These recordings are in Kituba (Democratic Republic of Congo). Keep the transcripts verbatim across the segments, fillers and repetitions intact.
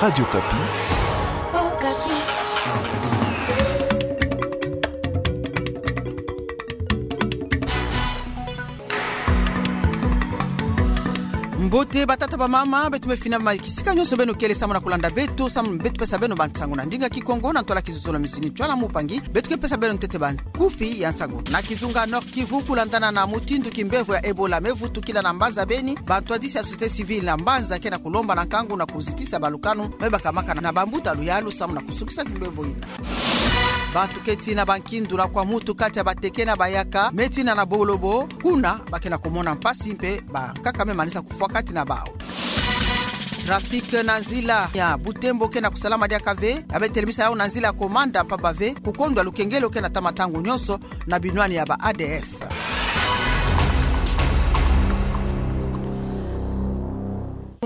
Radio Okapi. Mbote batata bamama, beto mafina mai kisika nyonso beno kele samu na kulanda beto, samu beto pesa beno bansangu na ndinga Kikongo, na ntwala kizololo, misini, ntwala mupangi, beto ke pesa beno ntete bankufi ya nsangu. Na kizunga Nord-Kivu, kulandana na mutindu kimbevo ya Ebola mevutukila na mbanza Beni, bantwadisi ya société civile na mbanza ke na kulomba na nkangu na kuzitisa balukanu me bakamaka na bambuta luyalu samu na kusukisa kimbevo yina. Bantu keti na bankindu na kwa mutu kati ya bateke na bayaka, me tina na Bolobo, kuna ba ke na kumona mpasi mpe bankaka me manisa kufwa kati na bawu. Trafic na nzila ya Butembo ke na kusalama diaka ve, ya be telemisa yawu na nzila ya Komanda mpamba ve kukondwa lukengelo ke na tama ntangu nyonso na binwani ya ba A D F.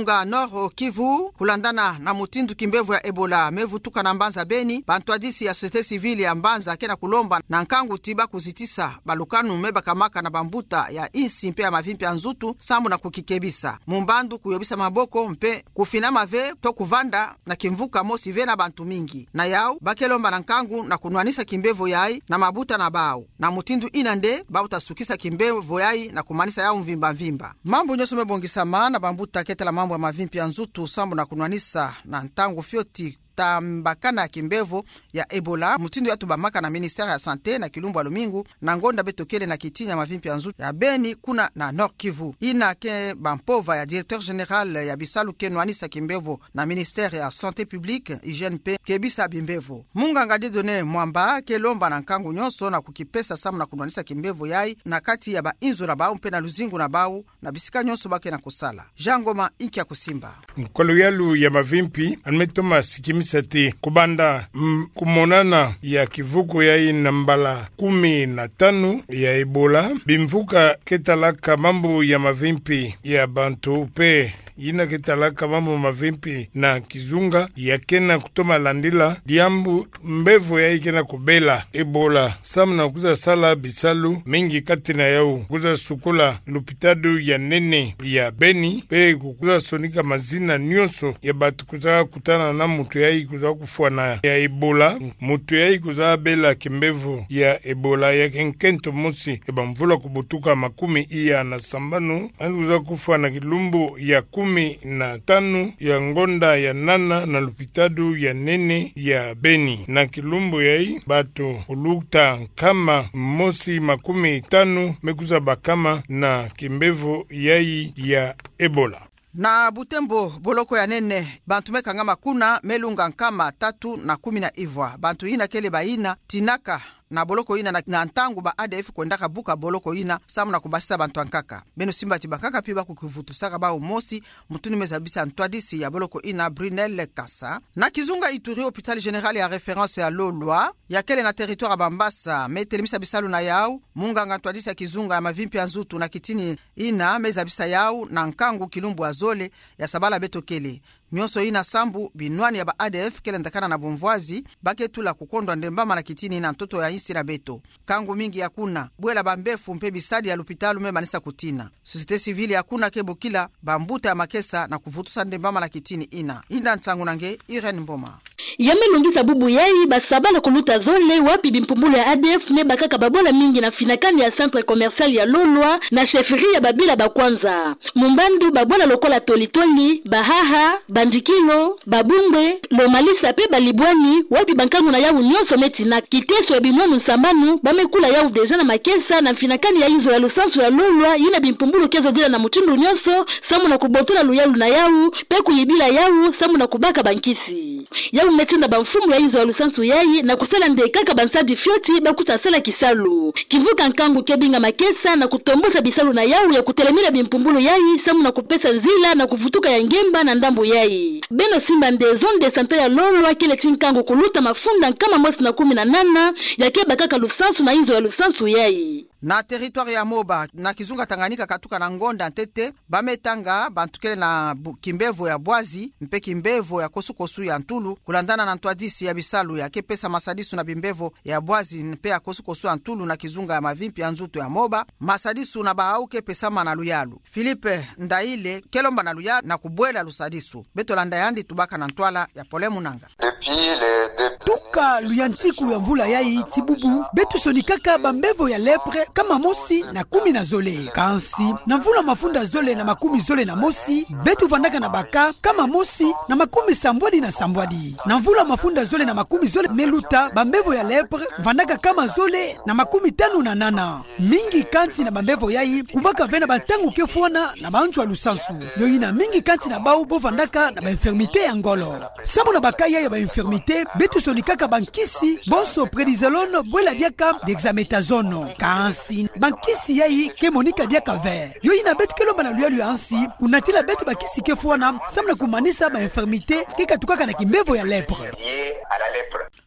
Nga Nord-Kivu, kulandana na mutindu kimbevo ya Ebola mevutuka na mbanza Beni, bantwadisi ya société civile ya mbanza ke na kulomba na nkangu ti ba kuzitisa balukanu me bakamaka na bambuta ya insi mpe ya mavimpi ya nzutu samu na kukikebisa. Mumbandu kuyobisa maboko mpe kufinama ve to kuvanda na kimvuka mosi ve na bantu mingi. Na yawu, ba ke lomba na nkangu na kunwanisa kimbevo yayi na mabuta na bawu. Na mutindu yina nde ba kuta sukisa kimbevo yayi na kumanisa yawu mvimba mvimba. Mambu nyonso me bongisama na bambuta ke tala mambu ya mavimpi ya nzutu samu na kunwanisa na ntangu fioti tambakana ya kimbevo ya Ebola, mutindu ya tubamaka na ministère ya Santé na kilumbu ya lumingu, na ngonda beto kele na kitini ya mavimpi ya nzutu ya Beni kuna na Nord-Kivu. Yina ke bampova ya directeur général ya bisalu ke nwanisa kimbevo na ministère ya Santé publique, hygiène mpe kebisa bimbevo. Munganga Dieudonné Mwamba ke lomba na nkangu nyonso na kukipesa samu na kunwanisa kimbevo yayi na kati ya bayinzo na bawu mpe na luzingu na bawu, na bisika nyonso ba ke na kusala. Jean Ngoma, inki ya kusimba. Kwa luyalu ya mavimpi, yandi me toma sikimisa ti kubanda, mm, kumonana ya kivuku yayi na mbala kumi na tanu ya Ebola, bimvuka ke talaka mambu ya mavimpi ya bantu mpe yina ke talaka mambu mavimpi na kizunga, ya ke na kutoma landila diambu mbevo yayi ke na kubela Ebola, samu na kwiza sala bisalu mingi kati na yawu kwiza sukula lupitalu ya nene ya Beni, mpe kukwiza sonika mazina nyonso ya bantu kwiza kutana na muntu yayi kwiza kufwana ya Ebola. Muntu yayi kwiza bela kimbevo ya Ebola ya ke nkento mosi ya bamvula kubutuka makumi iya na sambanu, yandi kwiza kufwa na kilumbu ya kumi na tanu ya ngonda ya nana na lupitalu ya nene ya Beni. Na kilumbu yayi, bantu kuluta nkama mosi makumi tanu me kwiza bakama na kimbevo yayi ya Ebola. Na Butembo, boloko ya nene, bantu me kangama kuna me lunga nkama tatu na kumi na ivwa. Bantu yina kele bayina tinaka na boloko yina na, na ntangu ba A D F kwendaka buka boloko yina samu na kubasisa bantu ya nkaka. Beno simba ti bankaka pi ba kukivutusaka bawu mosi, mutindu me zabisa ntwadisi ya boloko yina, Brunel Kasa. Na kizunga Ituri, hôpital général ya référence ya Lolwa, ya kele na territoire ya Bambasa, me telemisa bisalu na yawu, munganga ntwadisi ya kizunga ya mavimpi ya nzutu na kitini yina me zabisa yawu na nkangu kilumbu ya zole ya sabala beto kele. Nyonso yina sambu binwani ya ba A D F kele ndakana na bumvwazi, ba ke tula kukondwa ndembama na kitini na ntoto ya insi na beto. Nkangu mingi ya kuna, bwela bambefu mpe bisadi ya lupitalu me manisa kutina. Société civile ya kuna ke bokila bambuta ya makesa na kuvutusa ndembama na kitini yina. Yinda nsangu na nge, Irène Mboma. Ya me lungisa bubu yayi, ba sabala kuluta zole wapi bimpumbulu ya A D F me bakaka babwala mingi na finakani ya centre commercial ya Lolwa, na chefferie ya Babila Bakwanza. Mumbandu babwala lokola tolitoli, bahaha, bandikilo, babumbwe, lomalisa mpe balibwani, wapi bankangu na yawu nyonso me tina. Kiteso ya binwani nsambanu, ba me kula yawu déjà na makesa na finakani ya inzo ya lusansu ya Lolwa, yina bimpumbulu ke zodila na mutindu nyonso, samu na kubotola luyalu na yawu, mpe kuyibila yawu, samu na kubaka bankisi. Yawu me tinda bamfumu ya inzo ya lusansu yayi na kusala nde kaka bansadi fioti ba kwiza sala kisalu. Kivuka nkangu ke binga makesa na kutombosa bisalu na yawu ya kutelemina bimpumbulu yayi, samu na kupesa nzila na kuvutuka ya ngemba na ndambu yayi. Beno simba nde zone de santé ya Lolwa kele ti nkangu kuluta mafunda nkama mosi na kumi na nana ya ke bakaka lusansu na inzo ya lusansu yayi. Na territoire ya Moba, na kizunga Tanganyika, katuka na ngonda ntete, ba me tanga bantu kele na bu-, kimbevo ya bwazi mpe kimbevo ya kosukosu ya ntulu, kulandana na ntwadisi ya bisalu ya ke pesa masadisu na bimbevo ya bwazi mpe ya kosukosu ya ntulu na kizunga ya mavimpi ya nzutu ya Moba. Masadisu na bawu ke pesama na luyalu. Philippe Ndaile ke lomba na luyalu na kubwela lusadisu. Beto landa yandi tubaka na ntwala ya Pole Munanga. Depuis le début. Tuka luyantiku ya mvula yayi tii bubu, beto sonikaka bambevo ya lèpre kama mosi na kumi na zole. Kansi, na mvula mafunda zole na makumi zole na mosi, beto vandaka na ba cas kama mosi na makumi sambwadi na sambwadi. Na mvula mafunda zole na makumi zole me luta, bambevo ya lèpre vandaka kama zole na makumi tanu na nana. Mingi kati na bambevo yayi, kubaka ve na bantangu ke fwana na banzo ya lusansu. Yo yina mingi kati na bawu bo vandaka na ba infirmité ya ngolo. Samu na ba cas yayi ya ba infirmité, beto sonikaka bankisi bonso prednisolone bwela diaka dexamethasone. Kansi, bankisi yayi ke monika diaka ve. Yo yina beto ke lomba na luyalu ya nsi kunatila beto bakisi ke fwana, samu na kumanisa ba infirmité ke katukaka na kimbevo ya lèpre.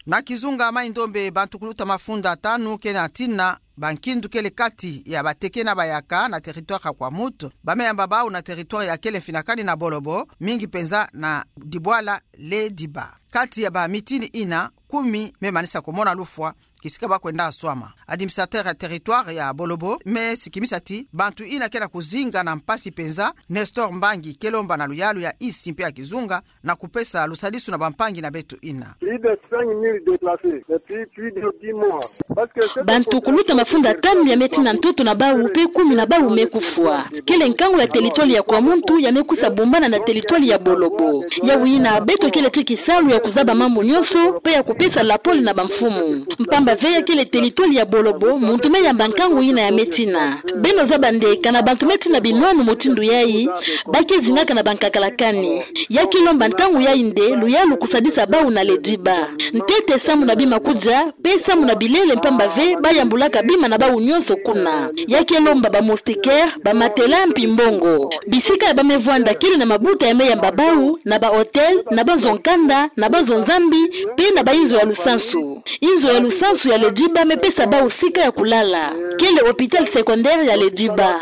Na kizunga Mai-Ndombe, bantu kuluta mafunda tanu ke na tina bankindu kele kati ya bateke na bayaka na territoire ya Kwamouth, ba me yamba bawu na territoire ya kele mfinakani na Bolobo, mingi penza na dibwala Lediba. Kati ya bamitini yina, kumi me manisa kumona lufwa, kisika ba kwenda swama. Administrateur ya territoire ya Bolobo me sikimisa ti bantu yina ke na kuzinga na mpasi penza. Nestor Mbangi ke lomba na luyalu ya nsi mpe ya kizunga na kupesa lusadisu na bampangi na beto yina. Plus de cinq mille déplacés depuis plus de dix mois. Parce que bantu kuluta mafunda tanu ya me tina ntoto na bawu mpe kumi na bawu me kufwa. Kele nkangu ya territoire ya Kwamouth ya me kwisa bombana na territoire ya Bolobo. Yawu yina beto kele ti kisalu ya kuzaba mambu nyonso mpe ya kupesa lapole na bamfumu. Mpamba ve ya kele territoire ya Bolobo, muntu me yamba nkangu yina ya me tina. Beno zaba nde kana bantu me tina binwanu mutindu yayi, ba ke zingaka na bankakala kani. Ya ke lomba ntangu yayi nde luyalu kusadisa bawu na Lediba. Ntete samu na bima kudia, mpe samu na bilele, mpamba ve ba yambulaka bima na bawu nyonso kuna. Ya ke lomba ba moustiquaire, ba matelas mpi mbongo. Bisika ya ba me vwanda kele na mabuta ya me yamba bawu, na ba hôtel, na banzo nkanda, na banzo nzambi, mpe na bainzo ya lusansu. Inzo ya lusansu ya Lediba me pesa bawu sika ya kulala. Kele hôpital secondaire ya Lediba.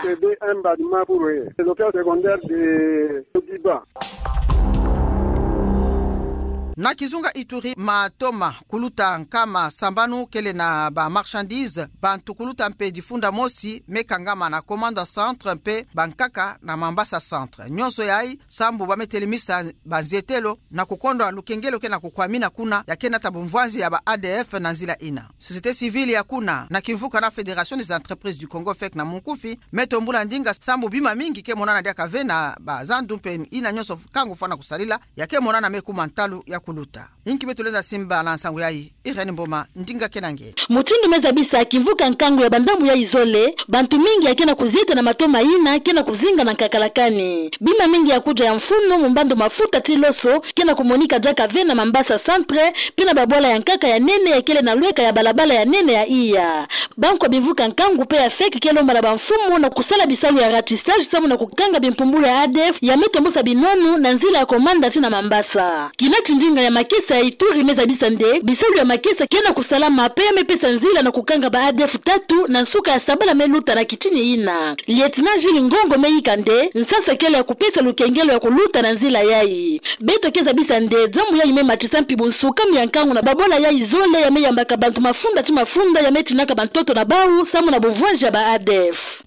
Na kizunga Ituri, matoma kuluta nkama sambanu kele na ba marchandises, bantu kuluta mpe difunda mosi me kangama na Komanda Centre mpe bankaka na Mambasa Centre. Nyonso yayi sambu ba me telemisa banzietelo na kukondwa lukengelo ke na kukwamina kuna, ya ke nata bumvwanzi ya ba A D F na nzila yina. Société civile ya kuna, na kimvuka na Fédération des entreprises du Congo, fec na munkufi, me tombula ndinga sambu bima mingi ke monana diaka ve na bazandu mpe yina nyonso nkangu fwana kusalila, ya ke monana me kuma ntalu ya kuluta. Inki beto lenda simba na nsangu yayi? Irène Mboma, ndinga ke na nge. Mutindu me zabisa kimvuka nkangu ya bandambu yayi zole, bantu mingi ya ke na kuzieta na matoma yina ke na kuzinga na nkakala kani. Bima mingi ya kudia ya mfunu mu mbandu mafuta ti loso ke na kumonika diaka ve na Mambasa Centre, mpe na babwala ya nkaka ya nene ya kele na lweka ya balabala ya nene ya Iya. Bankwa bimvuka nkangu mpe ya fec ke lomba na bamfumu na kusala bisalu ya ratissage samu na kukanga bimpumbulu ya A D F ya me tombosa binwanu na nzila ya Komanda tii na Mambasa. Kina ti ndinga ya makesa ya Ituri me zabisa nde bisalu ya makesa ke na kusalama mpe ya me pesa nzila na kukanga ba A D F tatu na nsuka ya sabala me luta na kitini yina. Lieutenant Jules Ngongo me yika nde nsasa kele ya kupesa lukengelo ya kuluta na nzila yayi. Beto ke zabisa nde diambu yayi me matisa mpi bunsukami ya nkangu na babwala yayi zole ya me yambaka bantu mafunda ti mafunda ya me tinaka bantoto na bawu samu na bumvwanzi ya ba A D F.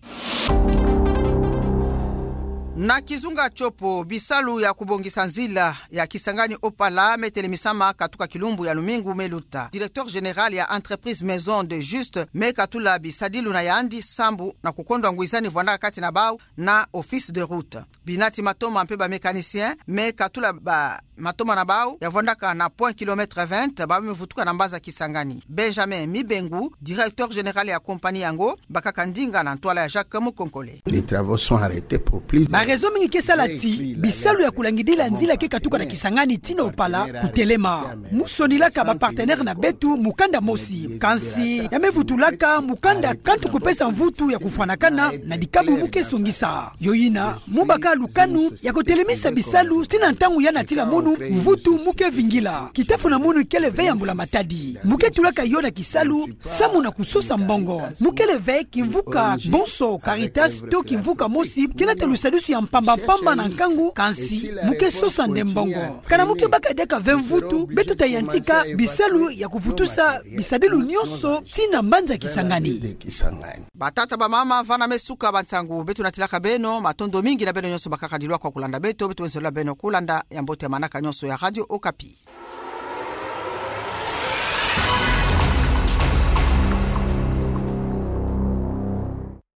Na kizunga Tshopo, bisalu ya kubongisa nzila ya Kisangani Opala me telemisama katuka kilumbu ya lumingu me luta. Directeur général ya entreprise Maison de Juste me katula bisadilu na yandi sambu na kukondwa ngwizani vwandaka kati na bawu na Office de route. Bina ti matoma mpe ba mécaniciens me katula ba matoma na bawu ya vwandaka na point kilomètre vingt, ba me vutuka na mbaza Kisangani. Benjamin Mibengu, directeur général ya compagnie yango, bakaka ndinga na ntwala ya Jacques Mukonkole. Les travaux sont arrêtés pour plus de Raison mingi ke sala ti bisalu ya kulangidila nzila ke katuka na Kisangani tii na Opala kutelema. Mu sonilaka ba partenaire na beto mukanda mosi, kansi ya me vutulaka mukanda kantu kupesa mvutu ya kufwanakana na dikabu mu ke songisa. Yo yina, mu baka lukanu ya kutelemisa bisalu tii na ntangu ya natila munu, mvutu mu ke vingila. Kita funa munu kele ve ya mbula matadi. Mu ke tulaka yo na kisalu, samu na kusosa mbongo. Mu kele ve kimvuka bonso Caritas to kimvuka mosi ke nata lusadusu ya mpamba mpamba na nkangu, kansi mu ke sosa nde mbongo. Kana mu ke baka diaka ve mvutu, beto ta yantika bisalu ya kuvutusa bisadilu nyonso tii na mbanza Kisangani. Batata, bamama, vana me suka ba nsangu, beto natilaka beno matondo mingi na beno nyonso bakaka dilwa kwa kulanda beto, beto beno zola beno kulanda ya mbote ya manaka nyonso ya Radio Okapi.